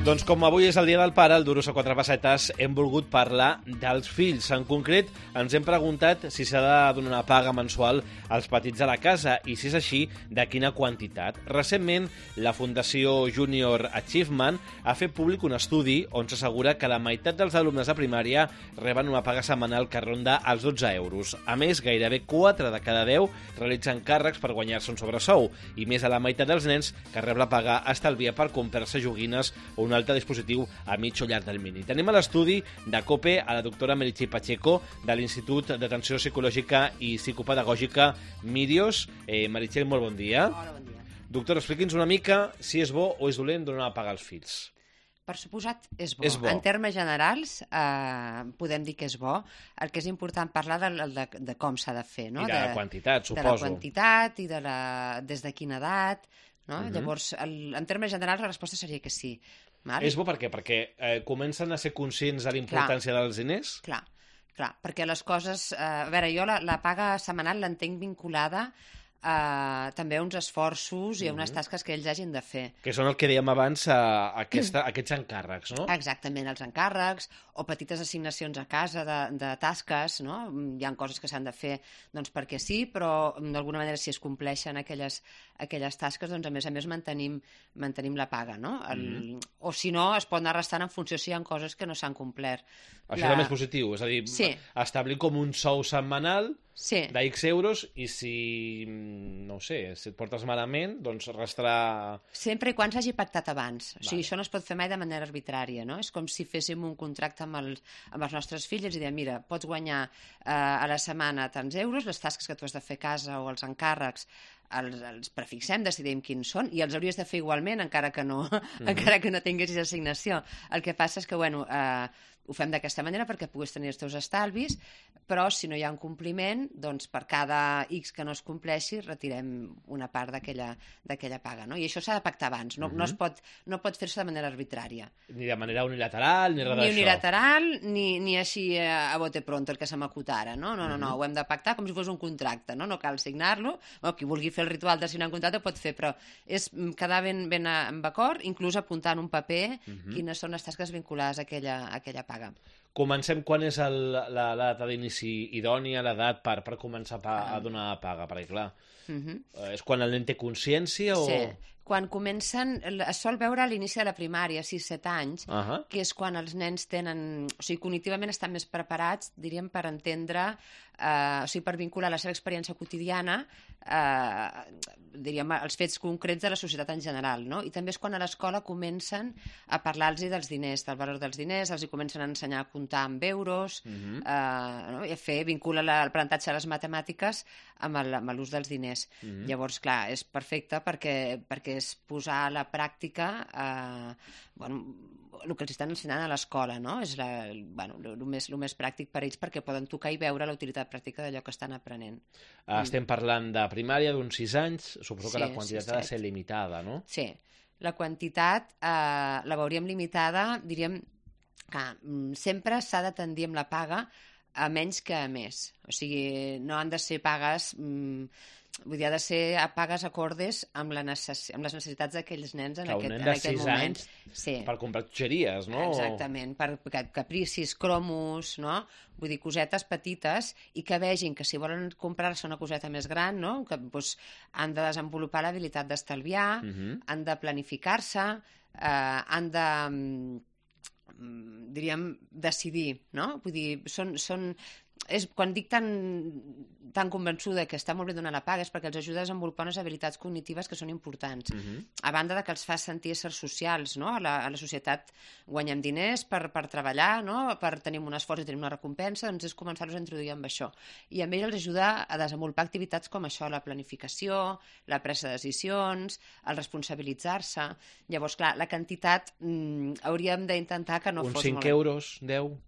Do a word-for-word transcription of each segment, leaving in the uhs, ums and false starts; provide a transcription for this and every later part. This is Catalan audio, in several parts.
Doncs com avui és el dia del pare, el Duros a quatre pessetes, hem volgut parlar dels fills. En concret, ens hem preguntat si s'ha de donar una paga mensual als petits de la casa i, si és així, de quina quantitat. Recentment, la Fundació Junior Achievement ha fet públic un estudi on s'assegura que la meitat dels alumnes de primària reben una paga setmanal que ronda els dotze euros. A més, gairebé quatre de cada deu realitzen càrrecs per guanyar-se un sobresou i més de la meitat dels nens que rep la paga estalvia per comprar-se joguines o un altre dispositiu a mig o llarg termini. Tenim a l'estudi de COPE a la doctora Meritxell Pacheco de l'Institut d'Atenció Psicològica i Psicopedagògica Mirios. Eh, Meritxell, molt bon dia. Hola, bon dia. Doctor, expliqui'ns una mica si és bo o és dolent donar a pagar als fills. Per suposat, és bo. És bo. En termes generals, eh, podem dir que és bo. El que és important parlar de, de, de com s'ha de fer, no? I de, de la quantitat, suposo. De la quantitat i de la, des de quina edat, no? Uh-huh. Llavors, el, en termes generals, la resposta seria que sí. Val? És bo per què? Perquè eh, comencen a ser conscients de la importància dels diners? Clar, clar, perquè les coses... Eh, a veure, jo la, la paga setmanal l'entenc vinculada eh, també a uns esforços i a unes tasques que ells hagin de fer. Que són el que dèiem abans, a, a aquesta, a aquests encàrrecs, no? Exactament, els encàrrecs o petites assignacions a casa de, de tasques, no? Hi ha coses que s'han de fer doncs, perquè sí, però d'alguna manera si es compleixen aquelles, aquelles tasques, doncs a més a més mantenim, mantenim la paga, no? El, mm. O si no, es pot anar restant en funció si hi ha coses que no s'han complert. Això la... és més positiu, és a dir, sí. establir com un sou setmanal sí. d'X euros i si, no ho sé, si et portes malament, doncs restarà... Sempre i quan s'hagi pactat abans. Vale. O sigui, això no es pot fer mai de manera arbitrària, no? És com si féssim un contracte amb els, amb els nostres fills i diem, mira, pots guanyar eh, a la setmana tants euros, les tasques que tu has de fer a casa o els encàrrecs els, els prefixem, decidim quins són i els hauries de fer igualment encara que no, mm-hmm. encara que no tinguessis assignació. El que passa és que, bueno, eh, ho fem d'aquesta manera perquè puguis tenir els teus estalvis, però si no hi ha un compliment, doncs per cada X que no es compleixi retirem una part d'aquella paga, no? I això s'ha de pactar abans, no, mm-hmm. no, es pot, no pot fer-se de manera arbitrària. Ni de manera unilateral, ni res d'això. Ni unilateral, ni, ni així a bote pronto, el que se m'acut ara, no? No, no, no, Mm-hmm. ho hem de pactar com si fos un contracte, no? No cal signar-lo, bueno, qui vulgui fer el ritual de signar un contracte pot fer, però és quedar ben, ben en acord, inclús apuntar en un paper mm-hmm. quines són les tasques vinculades a aquella, a aquella paga. Comencem quan és l'edat d'inici idònia, l'edat per, per començar a, a donar paga, perquè clar, mm-hmm. és quan el nen té consciència o... Sí, quan comencen, es sol veure a l'inici de la primària, sis set anys, uh-huh. que és quan els nens tenen, o sigui, cognitivament estan més preparats, diríem, per entendre, eh, o sigui, per vincular la seva experiència quotidiana, eh, diríem, els fets concrets de la societat en general, no? I també és quan a l'escola comencen a parlar-los dels diners, del valor dels diners, els hi comencen a ensenyar a comptar amb euros, uh-huh. eh, no? I a fer, vincula l'aprenentatge de les matemàtiques amb l'ús dels diners. Uh-huh. Llavors, clar, és perfecte perquè, perquè és posar a la pràctica eh, bueno, el que els estan ensenyant a l'escola, no? És la, bueno, el més, més pràctic per ells perquè poden tocar i veure la utilitat pràctica d'allò que estan aprenent. Estem parlant de primària, d'uns sis anys, suposo que sí, la quantitat sí, ha de ser limitada, no? Sí, la quantitat eh, la veuríem limitada, diríem que sempre s'ha de tendir amb la paga a menys que a més. O sigui, no han de ser pagues... Mm, vull dir, ha de ser a pagues acordes amb, la necess... amb les necessitats d'aquells nens en que aquest, en en aquest moment. Anys sí. Per comprar xutxeries, no? Exactament, per capricis, cromos, no? Vull dir, cosetes petites i que vegin que si volen comprar-se una coseta més gran, no? Que doncs, han de desenvolupar l'habilitat d'estalviar, uh-huh. han de planificar-se, eh, han de... diríem, decidir, no? Vull dir, són... són és, quan dic tan, tan convençuda que està molt bé donar la paga és perquè els ajuda a desenvolupar unes habilitats cognitives que són importants. Uh-huh. A banda de que els fa sentir éssers socials, no? A la, a la societat guanyem diners per, per treballar, no? Per tenir un esforç i tenir una recompensa, doncs és començar-los a introduir amb això. I a ells els ajuda a desenvolupar activitats com això, la planificació, la presa de decisions, el responsabilitzar-se. Llavors, clar, la quantitat mmm, hauríem d'intentar que no uns fos cinc molt... euros, deu...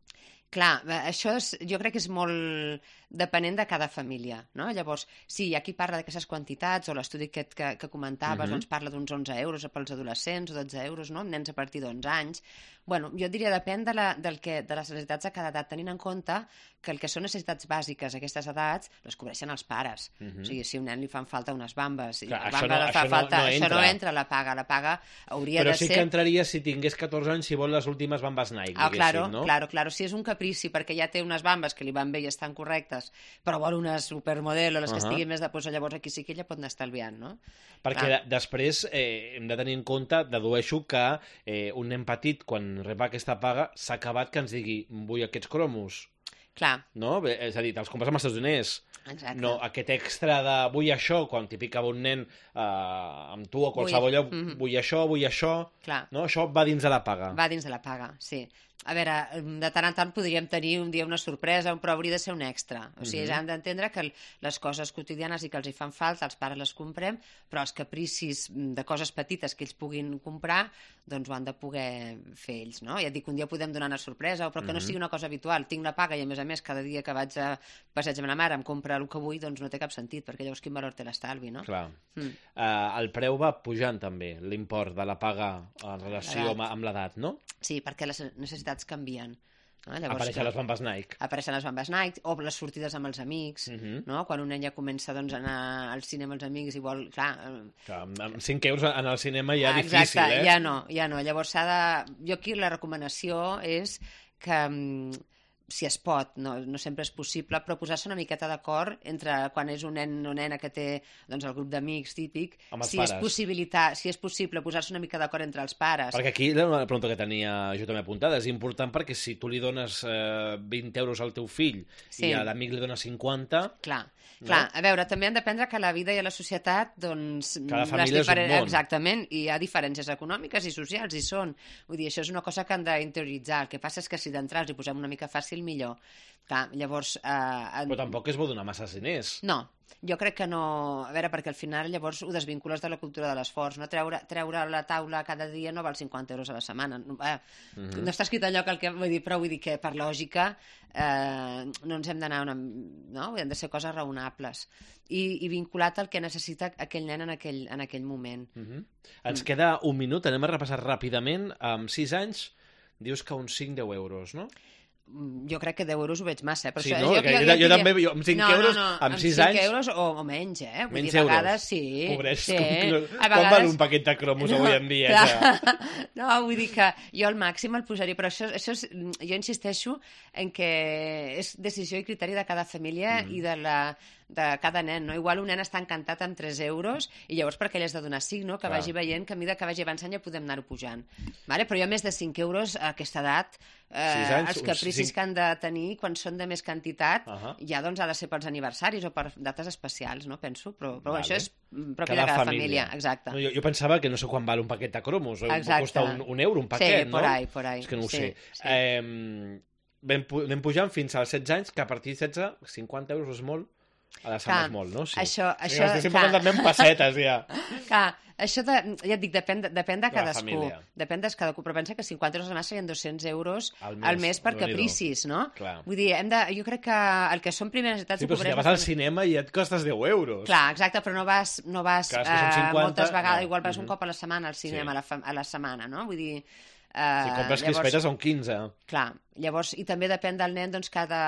Clar, això és, jo crec que és molt depenent de cada família, no? Llavors, sí, hi ha qui parla d'aquestes quantitats, o l'estudi que, que, que comentaves, uh-huh. doncs parla d'uns onze euros pels adolescents, o dotze euros, no? Nens a partir d'onze anys, Bueno, jo diria depèn de, la, del que, de les necessitats de cada edat, tenint en compte que el que són necessitats bàsiques a aquestes edats les cobreixen els pares. Uh-huh. O sigui, si a un nen li fan falta unes bambes, Clar, i això, bamba no, fa això, falta, no, no això entra. no entra a la paga. La paga hauria Però de sí ser... que entraria si tingués catorze anys, si vol les últimes bambes Nike, ah, claro, no? Claro, claro. Si és un caprici perquè ja té unes bambes que li van bé i estan correctes, però vol una supermodel o les que uh-huh. estiguin més de... Pues, llavors aquí sí que ella pot anar estalviant, no? Perquè de, després eh, hem de tenir en compte, dedueixo que eh, un nen petit, quan rep aquesta paga, s'ha acabat que ens digui vull aquests cromos. Clar. No? És a dir, te'ls compres amb els teus diners. Exacte. No, aquest extra de vull això, quan t'hi pica un nen eh, amb tu o qualsevol lloc, vull... vull això, vull això... Clar. No? Això va dins de la paga. Va dins de la paga, sí. A veure, de tant en tant podríem tenir un dia una sorpresa, però hauria de ser un extra. O sigui, uh-huh. ja hem d'entendre que les coses quotidianes i que els hi fan falta, els pares les comprem, però els capricis de coses petites que ells puguin comprar, doncs ho han de poder fer ells, no? Ja et dic, un dia podem donar una sorpresa, però que uh-huh. no sigui una cosa habitual. Tinc la paga i, a més a més, cada dia que vaig a passeig amb la mare em compra el que vull, doncs no té cap sentit, perquè llavors quin valor té l'estalvi, no? Clar. Mm. Uh, el preu va pujant també, l'import de la paga en relació amb, amb l'edat, no? Sí, perquè les necessitats canvien. No? Llavors, apareixen les bambes Nike. Apareixen les bambes Nike, o les sortides amb els amics, uh-huh. no? Quan un nen ja comença doncs, a anar al cinema amb els amics i vol... Clar, clar amb, amb cinc euros en el cinema ja és exacte, difícil, eh? Ja no, ja no. Llavors s'ha de... Jo aquí la recomanació és que... si es pot, no, no sempre és possible, però posar-se una miqueta d'acord entre quan és un nen o nena que té doncs, el grup d'amics típic, si és, possibilitat, si és possible posar-se una mica d'acord entre els pares. Perquè aquí la pregunta que tenia jo també apuntada és important perquè si tu li dones eh, vint euros al teu fill sí. i a l'amic li dones cinquanta... Clar. No? Clar, a veure, també han d'aprendre que la vida i a la societat, doncs... Cada família diferent... és un món. Exactament, i hi ha diferències econòmiques i socials, i són. Vull dir, això és una cosa que han d'interioritzar. El que passa és que si d'entrar els hi posem una mica fàcil, millor. Clar, llavors... Eh, en... Però tampoc és bo donar massa diners. No, jo crec que no... A veure, perquè al final llavors ho desvincules de la cultura de l'esforç, no? Treure, treure a la taula cada dia no val cinquanta euros a la setmana. No, eh, mm-hmm. no està escrit enlloc el que... Vull dir, però vull dir que per lògica eh, no ens hem d'anar una... No? Hem de ser coses raonables. I, i vinculat al que necessita aquell nen en aquell, en aquell moment. Mm-hmm. Ens mm. queda un minut, anem a repassar ràpidament. Amb sis anys dius que uns cinc a deu euros, no? Jo crec que deu euros ho veig massa, eh? Però sí, això, no? jo, jo, jo, jo, jo també, jo, amb cinc no, euros, no, no, amb sis anys... anys... cinc euros o, o menys, eh? Vull menys dir, a vegades, euros. sí. Pobrets, sí. Com, vegades... com val un paquet de cromos no, avui en dia? Ja? No, vull dir que jo al màxim el posaria, però això, això és, jo insisteixo en que és decisió i criteri de cada família mm. i de la... de cada nen, no? Igual un nen està encantat amb tres euros i llavors perquè ell has de donar cinc, no? Que Clar. Vagi veient que a mesura que vagi avançant ja podem anar-ho pujant. Vale? Però jo més de cinc euros a aquesta edat, eh, anys, els capricis cinc... que han de tenir quan són de més quantitat, uh -huh. ja doncs ha de ser pels aniversaris o per dates especials, no? Penso, però, però vale. Això és propi cada de cada família. família. Exacte. No, jo, jo pensava que no sé quan val un paquet de cromos, o costa un, un euro un paquet, sí, no? por ahí, por ahí. És que no ho sí, sé. Sí. Eh, anem, anem pujant fins als setze anys, que a partir de setze, cinquanta euros és molt. A la setmana és molt, no? Sí. Això, sí, això, estic parlant també en pessetes, ja. Clar, això de, ja et dic, depèn de, depèn de cadascú. La depèn de cadascú, però pensa que cinquanta euros al mes serien dos-cents euros al mes, al mes per capricis, no? Clar. Vull dir, hem de, jo crec que el que són primeres necessitats... Sí, però si ja vas al cinema i et costes deu euros. Clar, exacte, però no vas, no vas Clar, eh, cinquanta, moltes vegades, no. igual vas mm-hmm. un cop a la setmana al cinema, sí. a, la, a la setmana, no? Vull dir... Uh, si compres crispetes són quinze. Clar, llavors, i també depèn del nen doncs, que, de,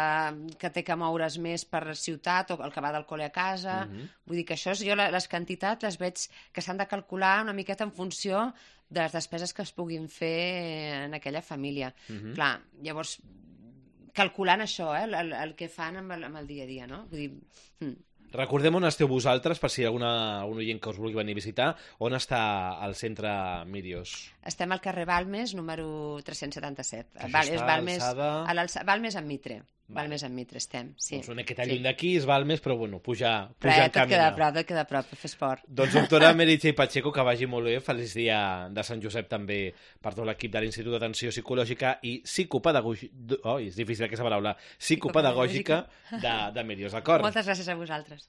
que té que moure's més per ciutat o el que va del col·le a casa. Uh-huh. Vull dir que això, jo les quantitats les veig que s'han de calcular una miqueta en funció de les despeses que es puguin fer en aquella família. Uh-huh. Clar, llavors, calculant això, eh, el, el que fan amb el, amb el dia a dia, no? Vull dir... Hmm. Recordem on esteu vosaltres, per si hi ha alguna, algun oient que us vulgui venir a visitar. On està el centre Mírios? Estem al carrer Balmes, número tres-cents setanta-set. Val, és Balmes, alçada... Balmes amb Mitre. Vale. Balmes amb Mitre estem, sí. Doncs una miqueta lluny sí. d'aquí és Balmes, però bueno, pujar, pujar però, en camina. Et queda a prop, et queda a prop, fer esport. Doncs doctora Meritxell Pacheco, que vagi molt bé. Feliç dia de Sant Josep també per tot l'equip de l'Institut d'Atenció Psicològica i Psicopedagògica... Oh, és difícil aquesta paraula. Psicopedagògica de, de Mírios, d'acord? Moltes gràcies a vosaltres.